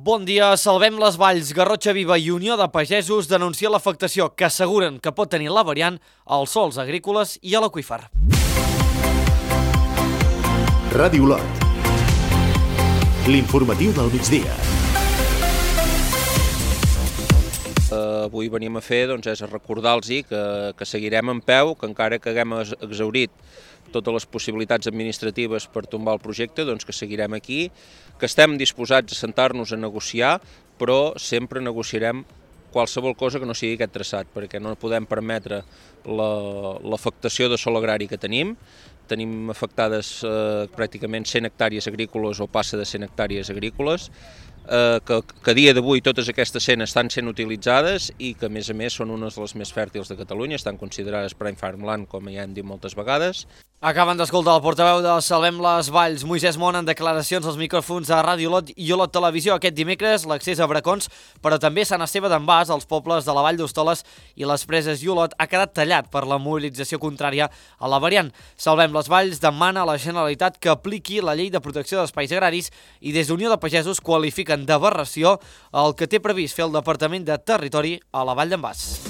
Bon dia, Salvem les Valls, Garrotxa Viva i Unió de Pagesos denuncien l'afectació que asseguren que pot tenir la variant als sòls agrícoles i a l'aqüífer. Ràdio Olot, l'informatiu del migdia. Avui venim a fer és a recordar-los que seguirem en peu, que encara que haguem exhaurit totes les possibilitats administratives per tombar el projecte, que seguirem aquí, que estem disposats a sentar-nos a negociar, però sempre negociarem qualsevol cosa que no sigui aquest traçat, perquè no podem permetre l'afectació de sòl agrari que tenim. Tenim afectades pràcticament 100 hectàrees agrícoles o passa de 100 hectàrees agrícoles, que a dia d'avui totes aquestes 100 estan sent utilitzades i que a més són unes de les més fèrtils de Catalunya, estan considerades Prime Farmland, com ja hem dit moltes vegades. Acaben d'escoltar el portaveu de Salvem les Valls, Moisès Mont, en declaracions als micròfons de Ràdio Olot i Olot Televisió. Aquest dimecres l'accés a Bracons, però també Sant Esteve d'en Bas, als pobles de la Vall d'Hostoles i les Preses i Olot, ha quedat tallat per la mobilització contrària a la variant. Salvem les Valls demana a la Generalitat que apliqui la llei de protecció d'espais agraris i des d'Unió de Pagesos qualifiquen d'aberració el que té previst fer el Departament de Territori a la Vall d'en Bas.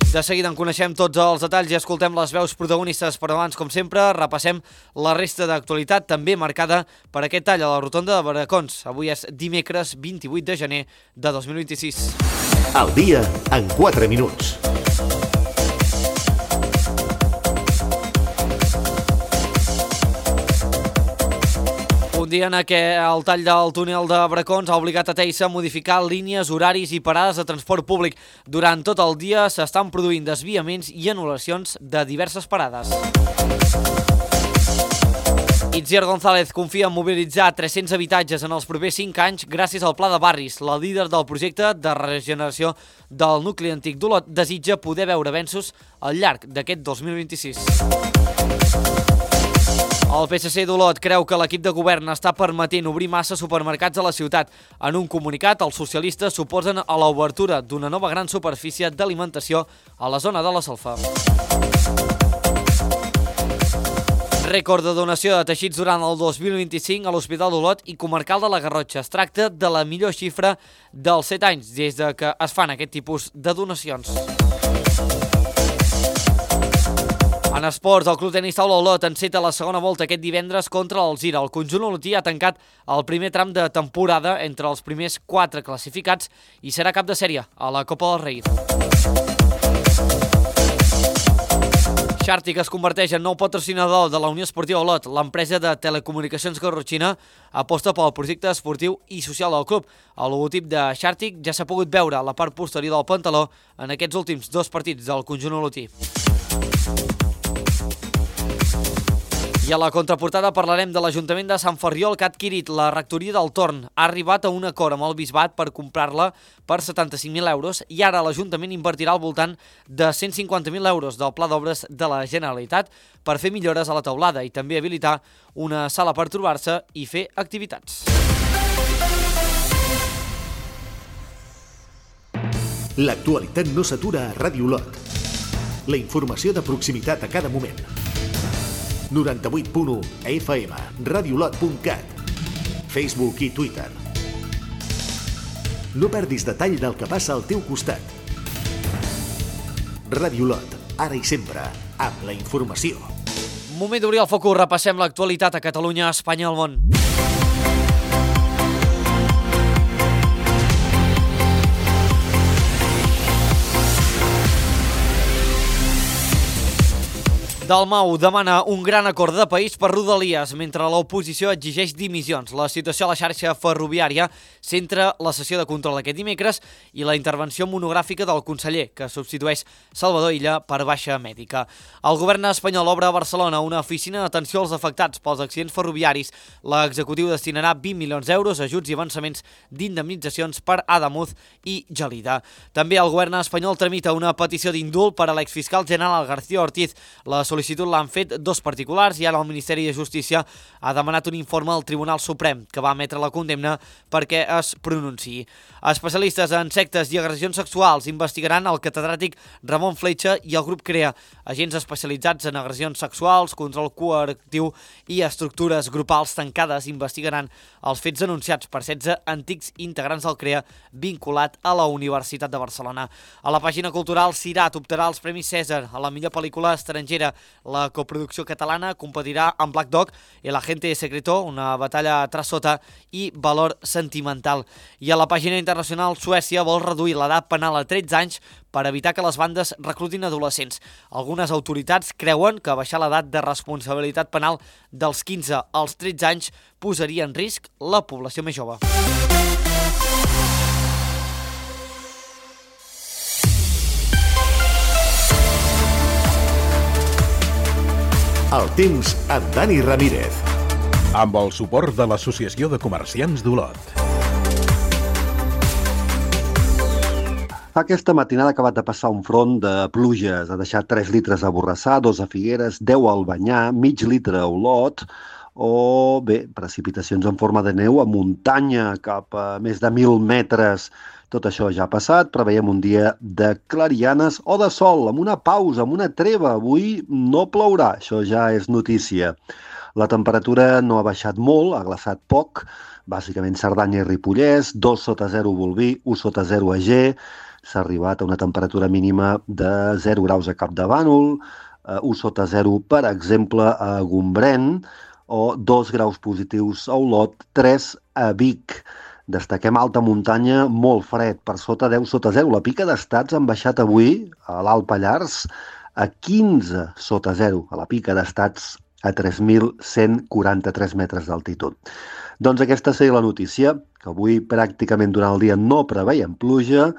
De seguida en coneixem tots els detalls i escoltem les veus protagonistes, però abans, com sempre, repassem la resta d'actualitat, també marcada per aquest tall a la rotonda de Bracons. Avui és dimecres 28 de gener de 2026. El dia en 4 minuts. Un dia en què el tall del túnel de Bracons ha obligat a Teissa a modificar línies, horaris i parades de transport públic. Durant tot el dia s'estan produint desviaments i anul·lacions de diverses parades. Itziar González confia en mobilitzar 300 habitatges en els propers 5 anys gràcies al Pla de Barris. La líder del projecte de regeneració del nucli antic d'Olot desitja poder veure avenços al llarg d'aquest 2026. El PSC d'Olot creu que l'equip de govern està permetent obrir massa supermercats a la ciutat. En un comunicat, els socialistes s'oposen a l'obertura d'una nova gran superfície d'alimentació a la zona de la Salfa. Rècord de donació de teixits durant el 2025 a l'Hospital d'Olot i Comarcal de la Garrotxa. Es tracta de la millor xifra dels 7 anys des de que es fan aquest tipus de donacions. En esports, el Club Tenis Taula Olot enceta la segona volta aquest divendres contra l'Alzira. El conjunt olotí ha tancat el primer tram de temporada entre els primers 4 classificats i serà cap de sèrie a la Copa del Rei. Xàrtic es converteix en nou patrocinador de la Unió Esportiva Olot. L'empresa de telecomunicacions garrotxina aposta pel projecte esportiu i social del club. El logotip de Xàrtic ja s'ha pogut veure a la part posterior del pantaló en aquests últims 2 partits del conjunt olotí. I a la contraportada parlarem de l'Ajuntament de Sant Ferriol que ha adquirit la rectoria del Torn. Ha arribat a un acord amb el Bisbat per comprar-la per 75.000 euros i ara l'Ajuntament invertirà al voltant de 150.000 euros del Pla d'Obres de la Generalitat per fer millores a la teulada i també habilitar una sala per trobar-se i fer activitats. L'actualitat no s'atura a Ràdio Olot. La informació de proximitat a cada moment. 98.1 FM, radiolot.cat, Facebook i Twitter. No perdis detall del que passa al teu costat. Ràdio Olot, ara i sempre, amb la informació. Moment d'obrir el focus, repassem l'actualitat a Catalunya, Espanya i el món. Dalmau demana un gran acord de país per Rodalies, mentre l'oposició exigeix dimissions. La situació a la xarxa ferroviària centra la sessió de control aquest dimecres i la intervenció monogràfica del conseller, que substitueix Salvador Illa per baixa mèdica. El govern espanyol obre a Barcelona una oficina d'atenció als afectats pels accidents ferroviaris. L'executiu destinarà 20 milions d'euros a ajuts i avançaments d'indemnitzacions per Adamuz i Gelida. També el govern espanyol tramita una petició d'indult per a l'exfiscal general García Ortiz. La sol·licitud sol·licitud l'han fet 2 particulars i ara el Ministeri de Justícia ha demanat un informe al Tribunal Suprem que va emetre la condemna perquè es pronunciï. Especialistes en sectes i agressions sexuals investigaran el catedràtic Ramon Fletxa i el grup CREA, agents especialitzats en agressions sexuals, control coercitiu i estructures grupals tancades, investigaran els fets denunciats per 16 antics integrants del CREA vinculat a la Universitat de Barcelona. A la pàgina cultural, Cirat optarà als Premis Cèsar a la millor pel·lícula estrangera. La coproducció catalana competirà amb Black Dog, El agente secreto, una batalla tras sota i Valor sentimental. I a la pàgina internacional, Suècia vol reduir l'edat penal a 13 anys per evitar que les bandes reclutin adolescents. Algunes autoritats creuen que baixar l'edat de responsabilitat penal dels 15 als 13 anys posaria en risc la població més jove. El temps amb Dani Ramírez. Amb el suport de l'Associació de Comerciants d'Olot. Aquesta matinada ha acabat de passar un front de pluges. Ha deixat 3 litres a Borrassà, 2 a Figueres, 10 a Albanyà, mig litre a Olot, o bé, precipitacions en forma de neu a muntanya cap a més de 1.000 metres. Tot això ja ha passat, preveiem un dia de clarianes o de sol, amb una pausa, amb una treva. Avui no plourà, això ja és notícia. La temperatura no ha baixat molt, ha glaçat poc, bàsicament Cerdanya i Ripollès, 2 sota 0 Bolví, 1 sota 0 a Ger, s'ha arribat a una temperatura mínima de 0 graus a Capdavànol, 1 sota 0, per exemple, a Gombrèn, o 2 graus positius a Olot, 3 a Vic. Destaquem alta muntanya, molt fred, per sota 10 sota 0. La pica d'estats han baixat avui a l'Alt Pallars a 15 sota 0, a la pica d'estats a 3.143 metres d'altitud. Doncs aquesta seria la notícia, que avui pràcticament durant el dia no preveiem pluja,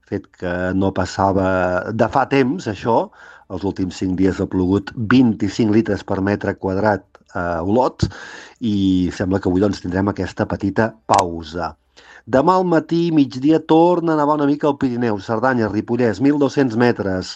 fet que no passava de fa temps, això. Els últims 5 dies ha plogut 25 litres per metre quadrat a Olot i sembla que avui doncs, tindrem aquesta petita pausa. Demà al matí, migdia, torna a nevar una mica al Pirineu, Cerdanya, Ripollès, 1.200 metres.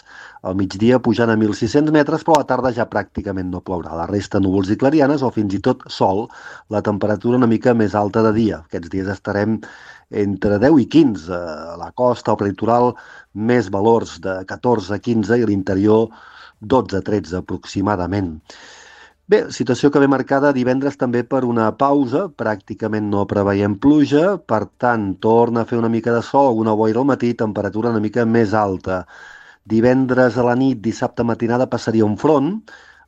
Al migdia pujant a 1.600 metres, però a la tarda ja pràcticament no plourà. La resta núvols i clarianes o fins i tot sol. La temperatura una mica més alta de dia. Aquests dies estarem entre 10 i 15. A la costa, al prelitoral, més valors de 14 a 15 i a l'interior 12 a 13 aproximadament. Bé, situació que ve marcada divendres també per una pausa, pràcticament no preveiem pluja, per tant, torna a fer una mica de sol, alguna boira al matí, temperatura una mica més alta. Divendres a la nit, dissabte matinada, passaria un front,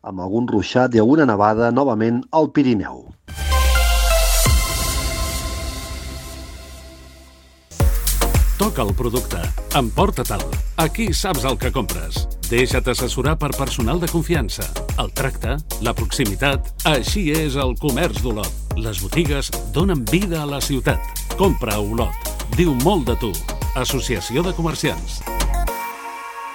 amb algun ruixat i alguna nevada novament al Pirineu. Toca el producte. Emporta-te'l. Aquí saps el que compres. Deixa't assessorar per personal de confiança. El tracte, la proximitat, així és el comerç d'Olot. Les botigues donen vida a la ciutat. Compra a Olot. Diu molt de tu. Associació de Comerciants.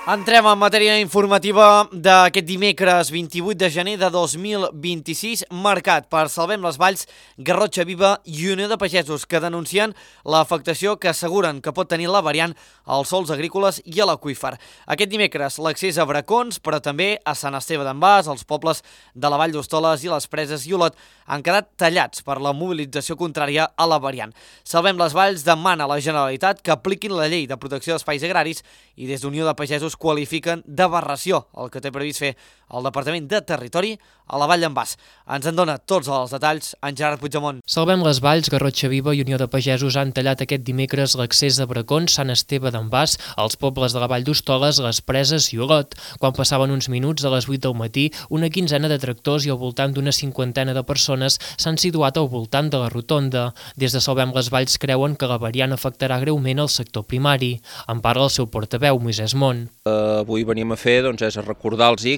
Entrem en matèria informativa d'aquest dimecres 28 de gener de 2026, marcat per Salvem les Valls, Garrotxa Viva i Unió de Pagesos, que denuncien l'afectació que asseguren que pot tenir la variant als sòls agrícoles i a l'aqüífer. Aquest dimecres l'accés a Bracons, però també a Sant Esteve d'en Bas, als pobles de la Vall d'Hostoles i les Preses i Olot, han quedat tallats per la mobilització contrària a la variant. Salvem les Valls demana a la Generalitat que apliquin la llei de protecció d'espais agraris i des d'Unió de Pagesos qualifiquen d'aberració el que té previst fer el Departament de Territori a la Vall d'en Bas. Ens en dona tots els detalls en Gerard Puigdemont. Salvem les Valls, Garrotxa Viva i Unió de Pagesos han tallat aquest dimecres l'accés a Bracons, Sant Esteve d'en Bas, als pobles de la Vall d'Hostoles, les Preses i Olot. Quan passaven uns minuts de les 8 del matí, una quinzena de tractors i al voltant d'una cinquantena de persones s'han situat al voltant de la rotonda. Des de Salvem les Valls creuen que la variant afectarà greument el sector primari. En parla el seu portaveu, Moisès Mont. Avui venim a fer és a recordar-los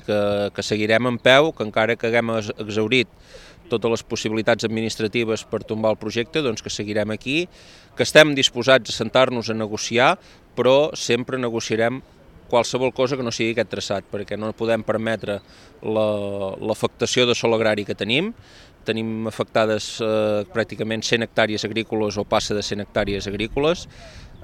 que seguirem en peu, que encara que haguem exhaurit totes les possibilitats administratives per tombar el projecte, que seguirem aquí, que estem disposats a sentar-nos a negociar, però sempre negociarem qualsevol cosa que no sigui aquest traçat, perquè no podem permetre l'afectació de sòl agrari que tenim. Tenim afectades pràcticament 100 hectàrees agrícoles o passa de 100 hectàrees agrícoles.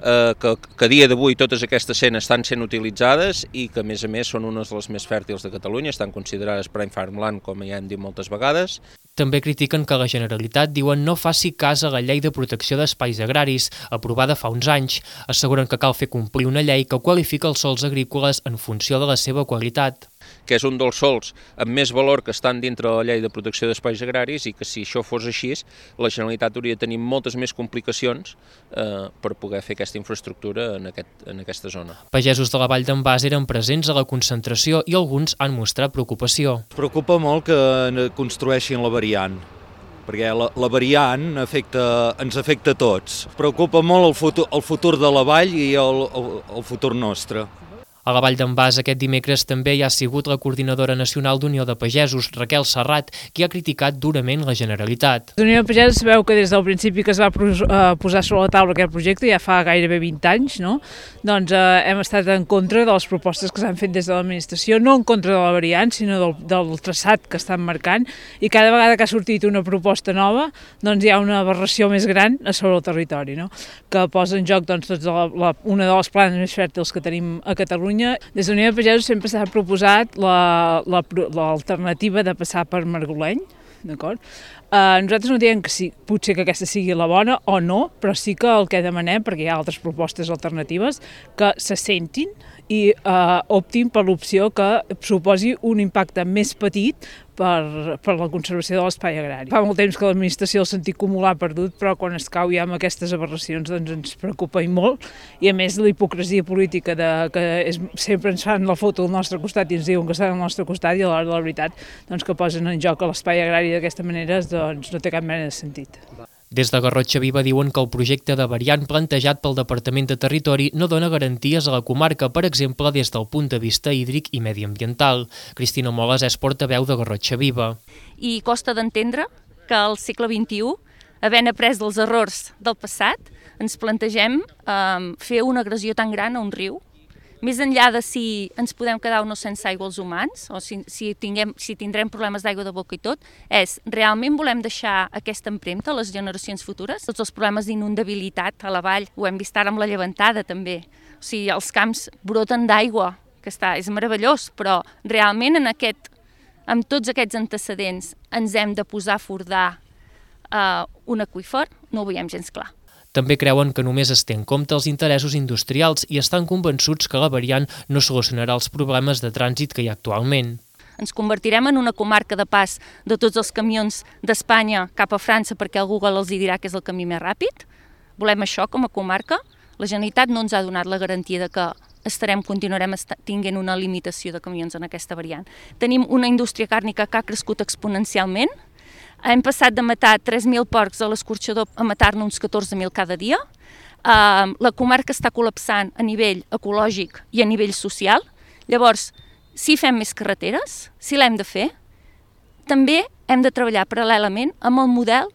que a dia d'avui totes aquestes 100 estan sent utilitzades i que a més són unes de les més fèrtils de Catalunya, estan considerades Prime Farmland, com ja hem dit moltes vegades. També critiquen que la Generalitat, diuen, no faci cas a la Llei de Protecció d'Espais Agraris, aprovada fa uns anys. Asseguren que cal fer complir una llei que qualifica els sòls agrícoles en funció de la seva qualitat. Que és un dels sòls amb més valor que estan dintre de la Llei de Protecció d'Espais Agraris i que si això fos així, la Generalitat hauria de tenir moltes més complicacions per poder fer aquesta infraestructura en aquesta zona. Pagesos de la Vall d'en Bas eren presents a la concentració i alguns han mostrat preocupació. Ens preocupa molt que construeixin la variant, perquè la variant ens afecta a tots. Ens preocupa molt el futur de la vall i el futur nostre. A la Vall d'en Bas aquest dimecres també hi ha sigut la coordinadora nacional d'Unió de Pagesos, Raquel Serrat, qui ha criticat durament la Generalitat. L'Unió de Pagesos sabeu que des del principi que es va posar sobre la taula aquest projecte, ja fa gairebé 20 anys, no? Doncs hem estat en contra de les propostes que s'han fet des de l'administració, no en contra de la variant, sinó del traçat que estan marcant, i cada vegada que ha sortit una proposta nova, doncs hi ha una aberració més gran a sobre el territori, no? Que posa en joc doncs, una de les planes més fèrtils que tenim a Catalunya. Des de l'Unió de Pagesos sempre s'ha proposat l'alternativa de passar per Margoleny, d'acord? Nosaltres no diem que potser que aquesta sigui la bona o no, però sí que el que demanem, perquè hi ha altres propostes alternatives, que se sentin i optin per l'opció que suposi un impacte més petit per la conservació de l'espai agrari. Fa molt temps que l'administració el sentit comú l'ha perdut, però quan es cau ja amb aquestes aberracions doncs ens preocupa i molt, i a més la hipocresia política que sempre ens fan la foto al nostre costat i ens diuen que estan al nostre costat i a l'hora de la veritat doncs, que posen en joc l'espai agrari d'aquesta manera doncs, no té cap mena de sentit. Des de Garrotxa Viva diuen que el projecte de variant plantejat pel Departament de Territori no dona garanties a la comarca, per exemple, des del punt de vista hídric i mediambiental. Cristina Moles és portaveu de Garrotxa Viva. I costa d'entendre que al segle XXI, havent après dels errors del passat, ens plantegem fer una agressió tan gran a un riu, més enllà de si ens podem quedar o no sense aigua els humans, o si tindrem problemes d'aigua de boca i tot, és realment volem deixar aquesta empremta a les generacions futures? Tots els problemes d'inundabilitat a la vall, ho hem vist ara amb la llevantada també. O sigui, els camps broten d'aigua, que és meravellós, però realment amb tots aquests antecedents ens hem de posar a fordar un aqüífer? No ho veiem gens clar. També creuen que només es té en compte els interessos industrials i estan convençuts que la variant no solucionarà els problemes de trànsit que hi ha actualment. Ens convertirem en una comarca de pas de tots els camions d'Espanya cap a França perquè el Google els dirà que és el camí més ràpid? Volem això com a comarca? La Generalitat no ens ha donat la garantia de que continuarem tinguent una limitació de camions en aquesta variant. Tenim una indústria càrnica que ha crescut exponencialment. Hem passat de matar 3.000 porcs a l'escorxador a matar-ne uns 14.000 cada dia. La comarca està col·lapsant a nivell ecològic i a nivell social. Llavors, si fem més carreteres, si l'hem de fer, també hem de treballar paral·lelament amb el model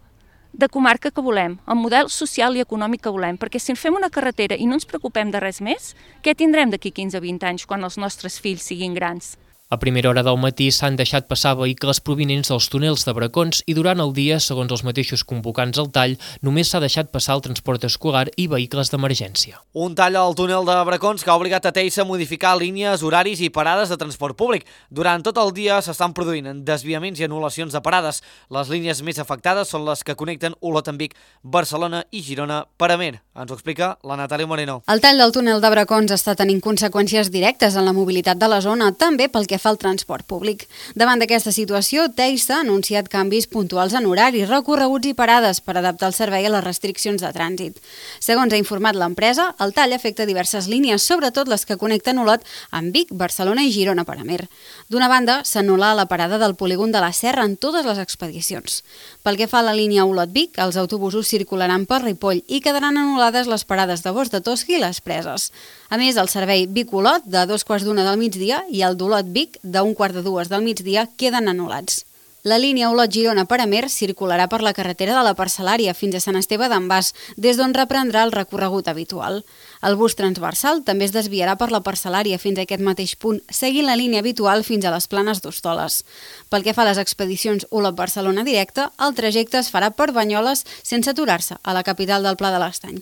de comarca que volem, el model social i econòmic que volem, perquè si fem una carretera i no ens preocupem de res més, què tindrem d'aquí 15 o 20 anys quan els nostres fills siguin grans? A primera hora del matí s'han deixat passar vehicles provinents dels túnels de Bracons i durant el dia, segons els mateixos convocants al tall, només s'ha deixat passar el transport escolar i vehicles d'emergència. Un tall al túnel de Bracons que ha obligat a Teixa a modificar línies, horaris i parades de transport públic. Durant tot el dia s'estan produint desviaments i anul·lacions de parades. Les línies més afectades són les que connecten Olot amb Vic, Barcelona i Girona per Amer. Ens ho explica la Natàlia Moreno. El tall del túnel de Bracons està tenint conseqüències directes en la mobilitat de la zona, també pel que fa al transport públic. Davant d'aquesta situació, Teixa ha anunciat canvis puntuals en horaris, recorreguts i parades per adaptar el servei a les restriccions de trànsit. Segons ha informat l'empresa, el tall afecta diverses línies, sobretot les que connecten Olot amb Vic, Barcelona i Girona per Amer. D'una banda, s'anul·la la parada del polígon de la Serra en totes les expedicions. Pel que fa a la línia Olot-Vic, els autobusos circularan per Ripoll i quedaran anul·lades les parades de Bos de Tosqui i les Preses. A més, el servei Vic-Olot de 2:15 del migdia i el d'Olot-Vic de 1:15 del migdia queden anul·lats. La línia Olot-Girona per Amer circularà per la carretera de la Parcel·lària fins a Sant Esteve d'en Bas, des d'on reprendrà el recorregut habitual. El bus transversal també es desviarà per la Parcel·lària fins a aquest mateix punt, seguint la línia habitual fins a les Planes d'Hostoles. Pel que fa a les expedicions Olot-Barcelona directa, el trajecte es farà per Banyoles sense aturar-se a la capital del Pla de l'Estany.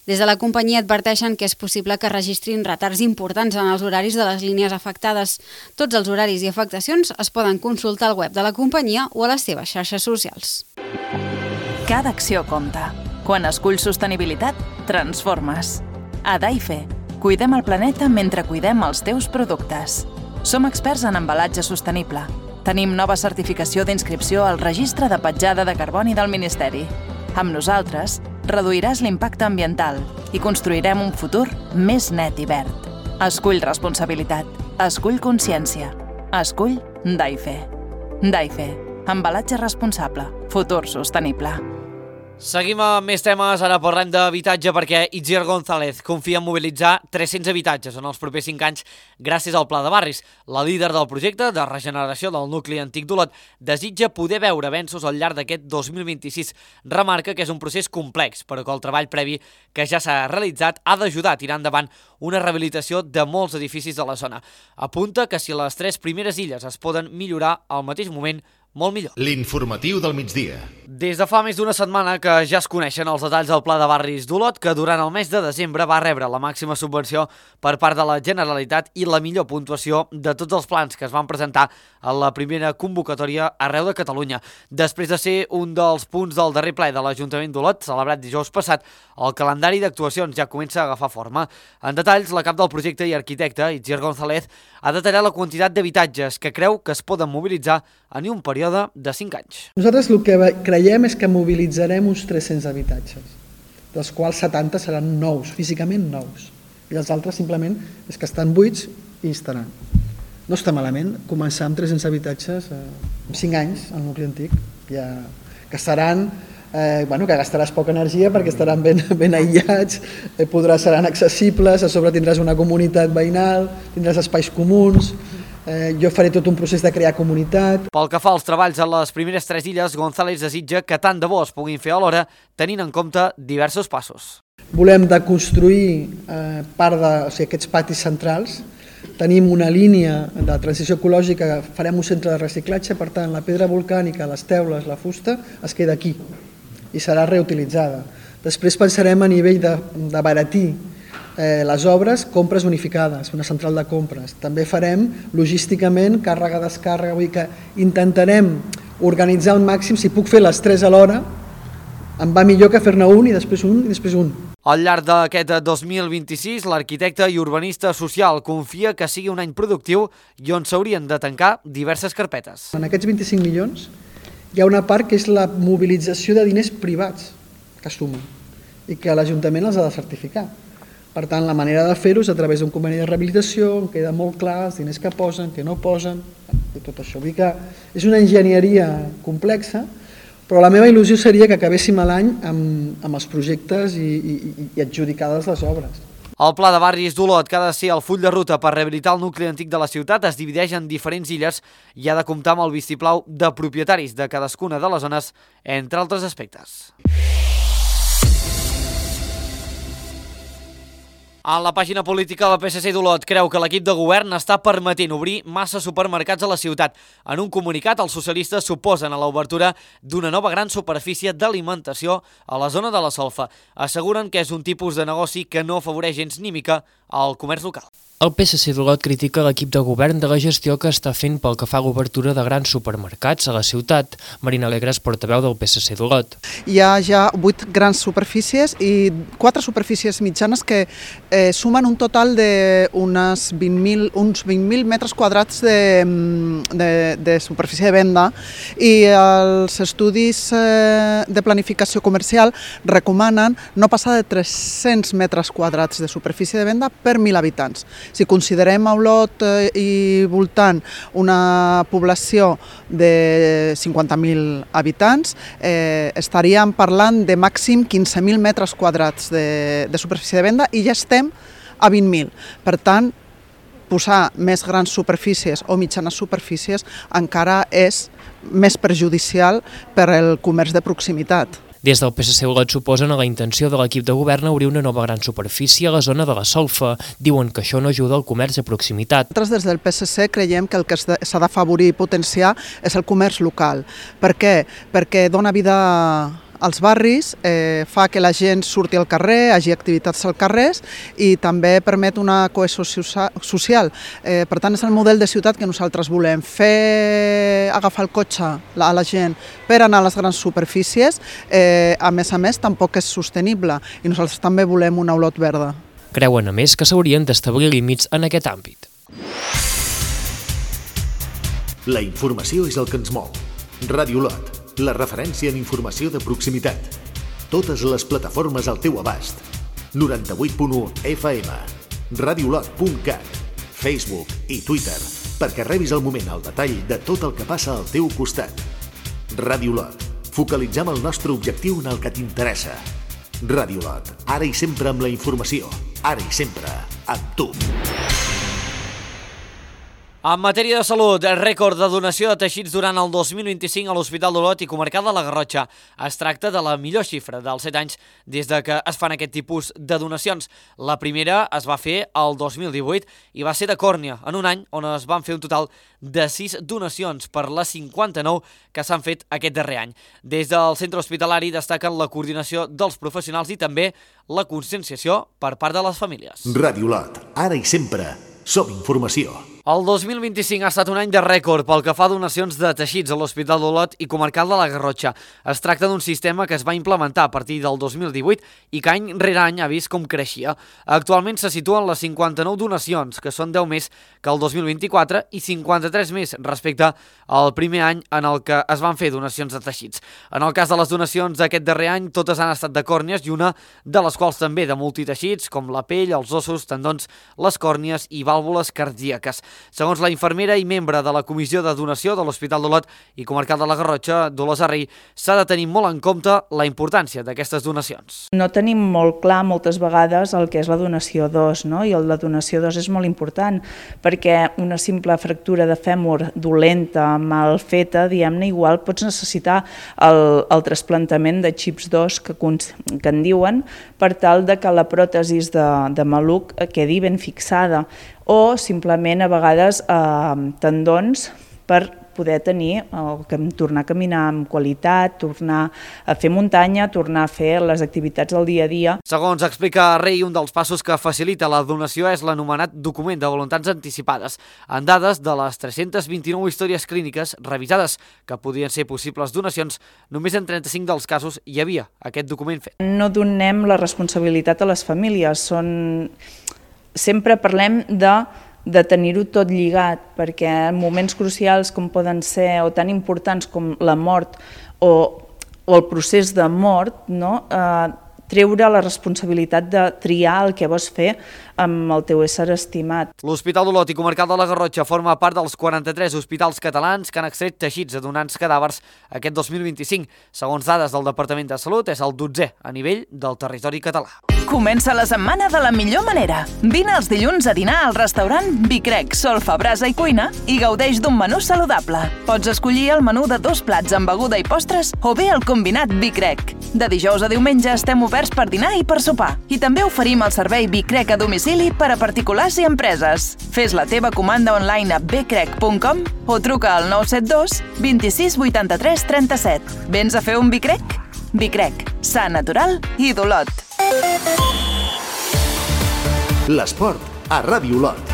Des de la companyia adverteixen que és possible que registrin retards importants en els horaris de les línies afectades. Tots els horaris i afectacions es poden consultar al web de la companyia o a les seves xarxes socials. Cada acció compta. Quan esculls sostenibilitat, transformes. A Daife, cuidem el planeta mentre cuidem els teus productes. Som experts en embalatge sostenible. Tenim nova certificació d'inscripció al Registre de Petjada de Carboni del Ministeri. Amb nosaltres, reduiràs l'impacte ambiental i construirem un futur més net i verd. Escull responsabilitat. Escull consciència. Escull Daife. Daife. Embalatge responsable. Futur sostenible. Seguim amb més temes, ara parlem d'habitatge perquè Itziar González confia en mobilitzar 300 habitatges en els propers 5 anys gràcies al Pla de Barris. La líder del projecte de regeneració del nucli antic d'Olot desitja poder veure avenços al llarg d'aquest 2026. Remarca que és un procés complex, però que el treball previ que ja s'ha realitzat ha d'ajudar a tirar endavant una rehabilitació de molts edificis de la zona. Apunta que si les 3 primeres illes es poden millorar al mateix moment, molt millor. L'informatiu del migdia. Des de fa més d'una setmana que ja es coneixen els detalls del Pla de Barris d'Olot, que durant el mes de desembre va rebre la màxima subvenció per part de la Generalitat i la millor puntuació de tots els plans que es van presentar a la primera convocatòria arreu de Catalunya. Després de ser un dels punts del darrer ple de l'Ajuntament d'Olot, celebrat dijous passat, el calendari d'actuacions ja comença a agafar forma. En detalls, la cap del projecte i arquitecte, Itziar González, ha detallat la quantitat d'habitatges que creu que es poden mobilitzar en un període de 5 anys. Nosaltres el que creiem és que mobilitzarem uns 300 habitatges, dels quals 70 seran nous, físicament nous, i els altres simplement és que estan buits i estaran. No està malament començar amb 300 habitatges en 5 anys al nucli antic, ja, que seran que gastaràs poca energia perquè estaran ben aïllats, seran accessibles, a sobre tindràs una comunitat veïnal, tindràs espais comuns, jo faré tot un procés de crear comunitat. Pel que fa als treballs a les primeres 3 illes, González desitja que tant de bo es puguin fer alhora, tenint en compte diversos passos. Volem deconstruir aquests patis centrals, tenim una línia de transició ecològica, farem un centre de reciclatge, per tant la pedra volcànica, les teules, la fusta, es queda aquí i serà reutilitzada. Després pensarem a nivell d'abaratir les obres, compres unificades, una central de compres. També farem logísticament càrrega-descàrrega, vull dir que intentarem organitzar al màxim, si puc fer les 3 alhora, em va millor que fer-ne un i després un i després un. Al llarg d'aquest 2026, l'arquitecte i urbanista social confia que sigui un any productiu i on s'haurien de tancar diverses carpetes. En aquests 25 milions hi ha una part que és la mobilització de diners privats que sumen i que l'Ajuntament els ha de certificar. Per tant, la manera de fer-ho és a través d'un conveni de rehabilitació, on queda molt clar els diners que posen, que no posen, i tot això. Vull dir que és una enginyeria complexa, però la meva il·lusió seria que acabéssim l'any amb els projectes i adjudicades les obres. El Pla de Barris d'Olot, que ha de ser el full de ruta per rehabilitar el nucli antic de la ciutat, es divideix en diferents illes i ha de comptar amb el vistiplau de propietaris de cadascuna de les zones, entre altres aspectes. En la pàgina política, la PSC d'Olot creu que l'equip de govern està permetent obrir massa supermercats a la ciutat. En un comunicat, els socialistes s'oposen a l'obertura d'una nova gran superfície d'alimentació a la zona de la Solfa. Asseguren que és un tipus de negoci que no afavoreix gens ni mica al comerç local. El PSC d'Olot critica l'equip de govern de la gestió que està fent pel que fa a l'obertura de grans supermercats a la ciutat. Marina Alegres, portaveu del PSC d'Olot. Hi ha ja 8 grans superfícies i 4 superfícies mitjanes que sumen un total d'uns 20.000 metres quadrats de superfície de venda, i els estudis de planificació comercial recomanen no passar de 300 metres quadrats de superfície de venda per 1.000 habitants. Si considerem a Olot i voltant una població de 50.000 habitants, estaríem parlant de màxim 15.000 metres quadrats de superfície de venda i ja estem a 20.000. Per tant, posar més grans superfícies o mitjanes superfícies encara és més perjudicial per al comerç de proximitat. Des del PSC Olot s'oposen a la intenció de l'equip de govern a obrir una nova gran superfície a la zona de la Solfa. Diuen que això no ajuda al comerç de proximitat. Nosaltres des del PSC creiem que el que s'ha d'afavorir i potenciar és el comerç local. Per què? Perquè dona vida als barris, fa que la gent surti al carrer, hagi activitats al carrer i també permet una cohesió social. Per tant, és el model de ciutat que nosaltres volem. Fer agafar el cotxe a la gent per anar a les grans superfícies, a més, tampoc és sostenible i nosaltres també volem una olot verda. Creuen, a més, que s'haurien d'establir límits en aquest àmbit. La informació és el que ens mou. Ràdio Olot, la referència en informació de proximitat. Totes les plataformes al teu abast. 98.1 FM, radioolot.cat, Facebook i Twitter, perquè rebis al moment el detall de tot el que passa al teu costat. Ràdio Olot, focalitzem el nostre objectiu en el que t'interessa. Ràdio Olot, ara i sempre amb la informació, ara i sempre amb tu. En matèria de salut, rècord de donació de teixits durant el 2025 a l'Hospital d'Olot i Comarcal de la Garrotxa. Es tracta de la millor xifra dels 7 anys des de que es fan aquest tipus de donacions. La primera es va fer el 2018 i va ser de còrnia, en un any on es van fer un total de 6 donacions per les 59 que s'han fet aquest darrer any. Des del centre hospitalari destaquen la coordinació dels professionals i també la conscienciació per part de les famílies. Ràdio Olot, ara i sempre, som informació. El 2025 ha estat un any de rècord pel que fa a donacions de teixits a l'Hospital d'Olot i Comarcal de la Garrotxa. Es tracta d'un sistema que es va implementar a partir del 2018 i que any rere any ha vist com creixia. Actualment se situen les 59 donacions, que són 10 més que el 2024 i 53 més respecte al primer any en el que es van fer donacions de teixits. En el cas de les donacions d'aquest darrer any, totes han estat de còrnies i una de les quals també de multiteixits, com la pell, els ossos, tendons, les còrnies i vàlvules cardíaques. Segons la infermera i membre de la Comissió de Donació de l'Hospital d'Olot i Comarcal de la Garrotxa, Dolors Arrey, s'ha de tenir molt en compte la importància d'aquestes donacions. No tenim molt clar moltes vegades el que és la donació d'os, no? I la donació d'os és molt important perquè una simple fractura de fèmur dolenta, mal feta, diguem-ne, igual pots necessitar el trasplantament de xips d'os que en diuen per tal de que la pròtesi de maluc quedi ben fixada, o simplement a vegades tendons per poder tornar a caminar amb qualitat, tornar a fer muntanya, tornar a fer les activitats del dia a dia. Segons explica Rei, un dels passos que facilita la donació és l'anomenat document de voluntats anticipades, amb dades de les 329 històries clíniques revisades que podien ser possibles donacions. Només en 35 dels casos hi havia aquest document fet. No donem la responsabilitat a les famílies, sempre parlem de tenir-ho tot lligat, perquè en moments crucials com poden ser, o tan importants com la mort o el procés de mort, treure la responsabilitat de triar el que vols fer amb el teu ésser estimat. L'Hospital d'Olot i Comarcal de la Garrotxa forma part dels 43 hospitals catalans que han extret teixits de donants cadàvers aquest 2025. Segons dades del Departament de Salut, és el 12è a nivell del territori català. Comença la setmana de la millor manera. Vine els dilluns a dinar al restaurant Vicrec, Solfa, Brasa i Cuina i gaudeix d'un menú saludable. Pots escollir el menú de 2 plats amb beguda i postres o bé el combinat Vicrec. De dijous a diumenge estem oberts per dinar i per sopar. I també oferim el servei Vicrec a domicili per a particulars i empreses. Fes la teva comanda online a becrec.com o truca al 972 26 83 37. Vens a fer un Vicrec? Vicrec, sa natural i d'Olot. L'esport a Ràdio Olot.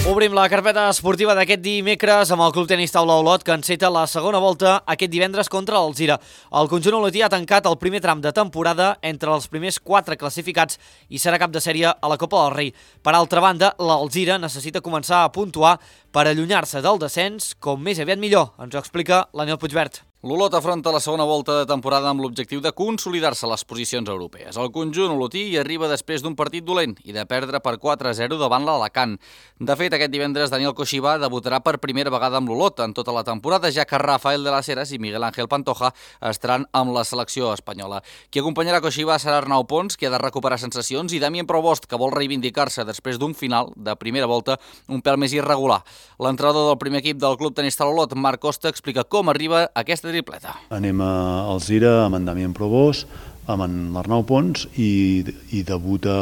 Obrim la carpeta esportiva d'aquest dimecres amb el Club Tenis Taula Olot, que enceta la segona volta aquest divendres contra l'Alzira. El conjunt olotí ha tancat el primer tram de temporada entre els primers 4 classificats i serà cap de sèrie a la Copa del Rei. Per altra banda, l'Alzira necessita començar a puntuar per allunyar-se del descens com més aviat millor, ens ho explica l'Aniel Puigvert. L'Olot afronta la segona volta de temporada amb l'objectiu de consolidar-se a les posicions europees. El conjunt olotí hi arriba després d'un partit dolent i de perdre per 4-0 davant l'Alacant. De fet, aquest divendres Daniel Coixibà debutarà per primera vegada amb l'Olot en tota la temporada, ja que Rafael de las Heras i Miguel Ángel Pantoja estaran amb la selecció espanyola. Qui acompanyarà Coixibà serà Arnau Pons, que ha de recuperar sensacions, i Damien Provost, que vol reivindicar-se després d'un final de primera volta un pèl més irregular. L'entrenador del primer equip del Club Tenis Taula Olot, Marc Costa, explica com arriba aquesta tripleta. Anem a Alzira amb en Damien Provost, amb en l'Arnau Pons i debuta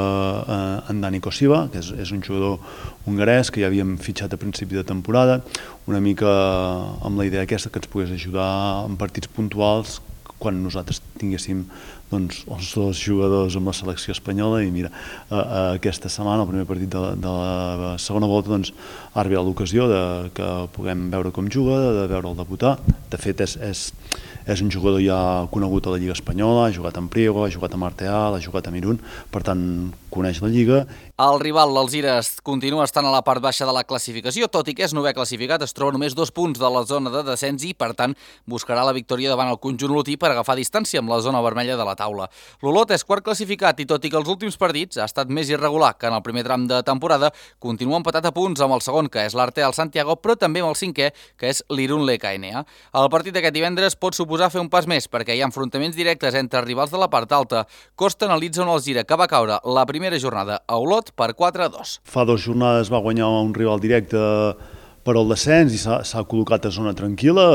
en Dani Kosiva, que és un jugador hongarès que ja havíem fitxat a principi de temporada, una mica amb la idea aquesta que ens pogués ajudar en partits puntuals quan nosaltres tinguéssim els dos jugadors amb la selecció espanyola. I mira, aquesta setmana, el primer partit de la segona volta, ha arribat l'ocasió que puguem veure com juga, de veure'l debutar. De fet, és un jugador ja conegut a la Lliga Espanyola, ha jugat en Priego, ha jugat a Marteal, ha jugat a Mirun, per tant, coneix la Lliga. El rival, l'Alzira, continua estant a la part baixa de la classificació, tot i que és novè classificat, es troba només 2 punts de la zona de descens i, per tant, buscarà la victòria davant el conjunt olotí per agafar distància amb la zona vermella de la taula. L'Olot és quart classificat i, tot i que els últims partits ha estat més irregular que en el primer tram de temporada, continua empatat a punts amb el segon, que és l'Artea al Santiago, però també amb el cinquè, que és l'Irun LKNA. El partit d'aquest divendres pot suposar fer un pas més, perquè hi ha enfrontaments directes entre rivals de la part alta. Costa analitza un Alzira que va caure la primera jornada a Olot per 4-2. Fa 2 jornades va guanyar un rival directe per al descens i s'ha col·locat a zona tranquil·la,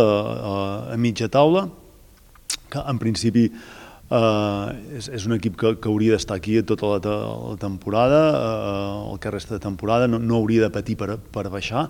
a mitja taula, que en principi és un equip que hauria d'estar aquí tota la temporada, el que resta de temporada, no hauria de patir per baixar,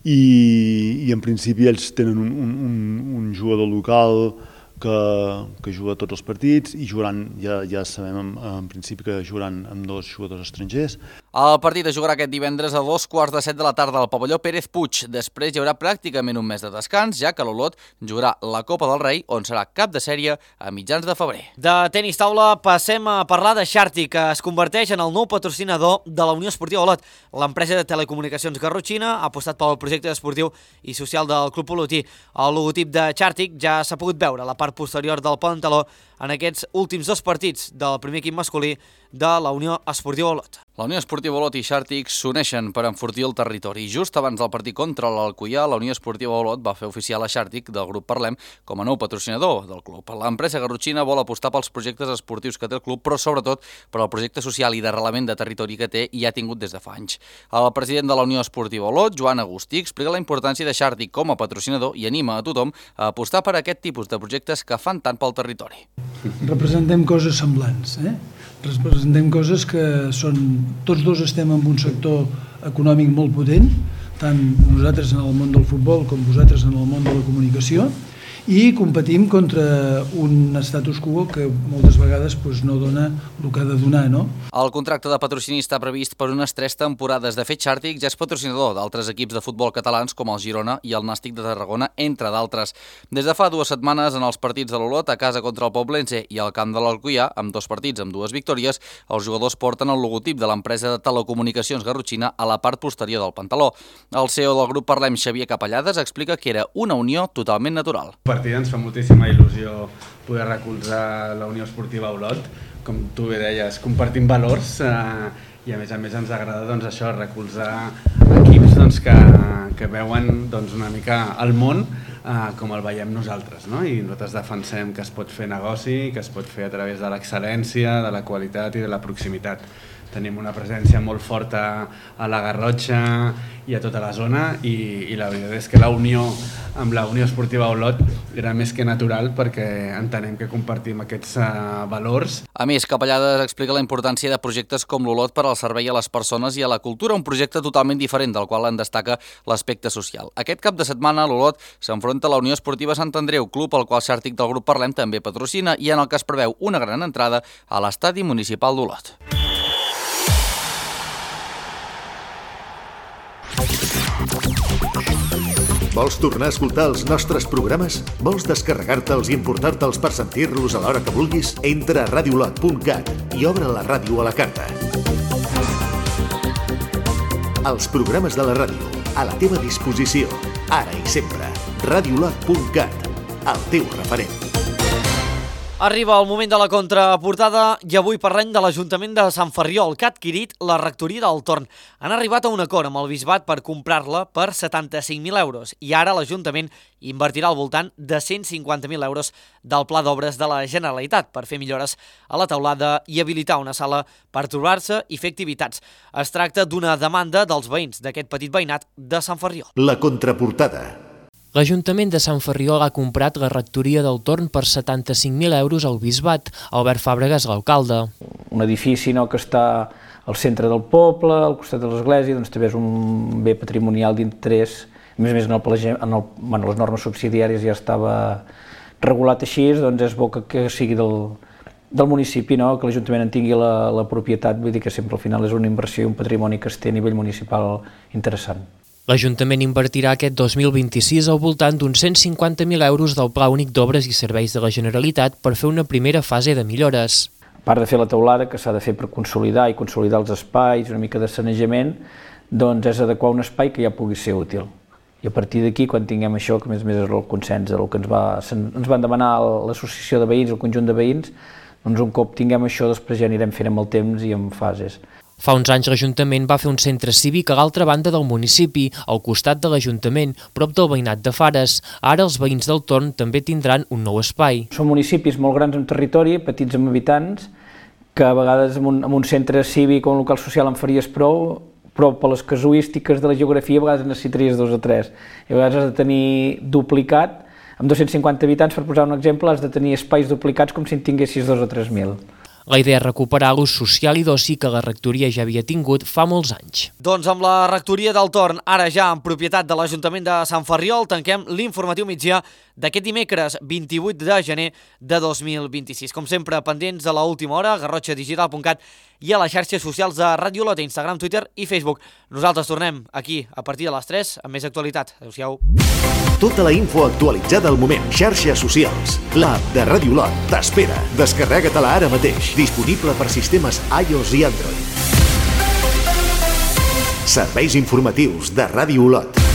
i en principi ells tenen un jugador local que juga tots els partits i jugaran, ja sabem en principi que jugaran amb 2 jugadors estrangers. El partit es jugarà aquest divendres a 2:15 de la tarda al pavelló Pérez Puig. Després hi haurà pràcticament un mes de descans, ja que l'Olot jugarà la Copa del Rei, on serà cap de sèrie a mitjans de febrer. De tenis taula passem a parlar de Xarti, que es converteix en el nou patrocinador de la Unió Esportiva Olot. L'empresa de telecomunicacions garrotxina ha apostat pel projecte esportiu i social del club olotí. El logotip de Xarti ja s'ha pogut veure a la part posterior del pantaló en aquests últims 2 partits del primer equip masculí de la Unió Esportiva Olot. La Unió Esportiva Olot i Xàrtic s'uneixen per enfortir el territori. Just abans del partit contra l'Alcoià, la Unió Esportiva Olot va fer oficial a Xàrtic del grup Parlem com a nou patrocinador del club. L'empresa garrotxina vol apostar pels projectes esportius que té el club, però sobretot per al projecte social i d'arrelament de territori que té i ha tingut des de fa anys. El president de la Unió Esportiva Olot, Joan Agustí, explica la importància de Xàrtic com a patrocinador i anima a tothom a apostar per aquest tipus de projectes que fan tant pel territori. Representem coses semblants, representem coses que són... Tots dos estem en un sector econòmic molt potent, tant nosaltres en el món del futbol com vosaltres en el món de la comunicació, i competim contra un status quo que moltes vegades no dona el que ha de donar, no? El contracte de patrocini està previst per unes 3 temporades. De fet, Xàrtic ja és patrocinador d'altres equips de futbol catalans com el Girona i el Nàstic de Tarragona, entre d'altres. Des de fa 2 setmanes, en els partits de l'Olot, a casa contra el Poblense i al camp de l'Alcoià, amb 2 partits amb 2 victòries, els jugadors porten el logotip de l'empresa de telecomunicacions garrotxina a la part posterior del pantaló. El CEO del grup Parlem, Xavier Capellades, explica que era una unió totalment natural. Ens fa moltíssima il·lusió poder recolzar la Unió Esportiva Olot. Com tu bé deies, compartim valors i a més ens agrada això, recolzar equips que veuen una mica el món com el veiem nosaltres, no? I nosaltres defensem que es pot fer negoci, que es pot fer a través de l'excel·lència, de la qualitat i de la proximitat. Tenim una presència molt forta a la Garrotxa i a tota la zona i la veritat és que la unió amb la Unió Esportiva Olot era més que natural perquè entenem que compartim aquests valors. A més, Capellades explica la importància de projectes com l'Olot per al servei a les persones i a la cultura, un projecte totalment diferent del qual en destaca l'aspecte social. Aquest cap de setmana l'Olot s'enfronta a la Unió Esportiva Sant Andreu, club al qual Xàrtic del grup Parlem també patrocina i en el que es preveu una gran entrada a l'estadi municipal d'Olot. Vols tornar a escoltar els nostres programes? Vols descarregar-te'ls i emportar-te'ls per sentir-los a l'hora que vulguis? Entra a radiolot.cat i obre la ràdio a la carta. Els programes de la ràdio, a la teva disposició, ara i sempre. Radiolot.cat, el teu referent. Arriba el moment de la contraportada i avui parlem de l'Ajuntament de Sant Ferriol, que ha adquirit la rectoria del Torn. Han arribat a un acord amb el Bisbat per comprar-la per 75.000 euros i ara l'Ajuntament invertirà al voltant de 150.000 euros del Pla d'Obres de la Generalitat per fer millores a la teulada i habilitar una sala per trobar-se i fer activitats. Es tracta d'una demanda dels veïns d'aquest petit veïnat de Sant Ferriol. La contraportada. L'Ajuntament de Sant Ferriol ha comprat la rectoria del Torn per 75.000 euros al Bisbat. Albert Fàbregas, l'alcalde. Un edifici que està al centre del poble, al costat de l'església, doncs també és un bé patrimonial d'interès. A més, les normes subsidiàries ja estava regulat així, doncs és bo que sigui del municipi, que l'Ajuntament en tingui la propietat, vull dir que sempre al final és una inversió i un patrimoni que es té a nivell municipal interessant. L'Ajuntament invertirà aquest 2026 al voltant d'uns 150.000 euros del Pla Únic d'Obres i Serveis de la Generalitat per fer una primera fase de millores. A part de fer la teulada, que s'ha de fer per consolidar els espais, una mica de sanejament, doncs és adequar un espai que ja pugui ser útil. I a partir d'aquí, quan tinguem això, que a més és el consens del que ens van demanar l'associació de veïns, el conjunt de veïns, doncs un cop tinguem això, després ja anirem fent amb el temps i amb fases. Fa uns anys l'Ajuntament va fer un centre cívic a l'altra banda del municipi, al costat de l'Ajuntament, prop del veïnat de Fares. Ara els veïns del Torn també tindran un nou espai. Són municipis molt grans en territori, petits amb habitants, que a vegades amb un centre cívic o un local social en faries prou, però per les casuístiques de la geografia a vegades necessitaries 2 o 3. I a vegades has de tenir duplicat, amb 250 habitants, per posar un exemple, has de tenir espais duplicats com si en tinguessis 2 o 3.000. La idea és recuperar l'ús social i d'oci que la rectoria ja havia tingut fa molts anys. Doncs amb la rectoria del Torn, ara ja en propietat de l'Ajuntament de Sant Ferriol, tanquem l'informatiu migdia d'aquest dimecres 28 de gener de 2026. Com sempre, pendents de l'última hora, garrotxadigital.cat i a les xarxes socials de Ràdio Olot, Instagram, Twitter i Facebook. Nosaltres tornem aquí a partir de les 3 amb més actualitat. Adéu-siau. Tota la info actualitzada al moment. Xarxes socials. L'app de Ràdio Olot t'espera. Descarrega-te-la ara mateix. Disponible per sistemes iOS i Android. Serveis informatius de Ràdio Olot.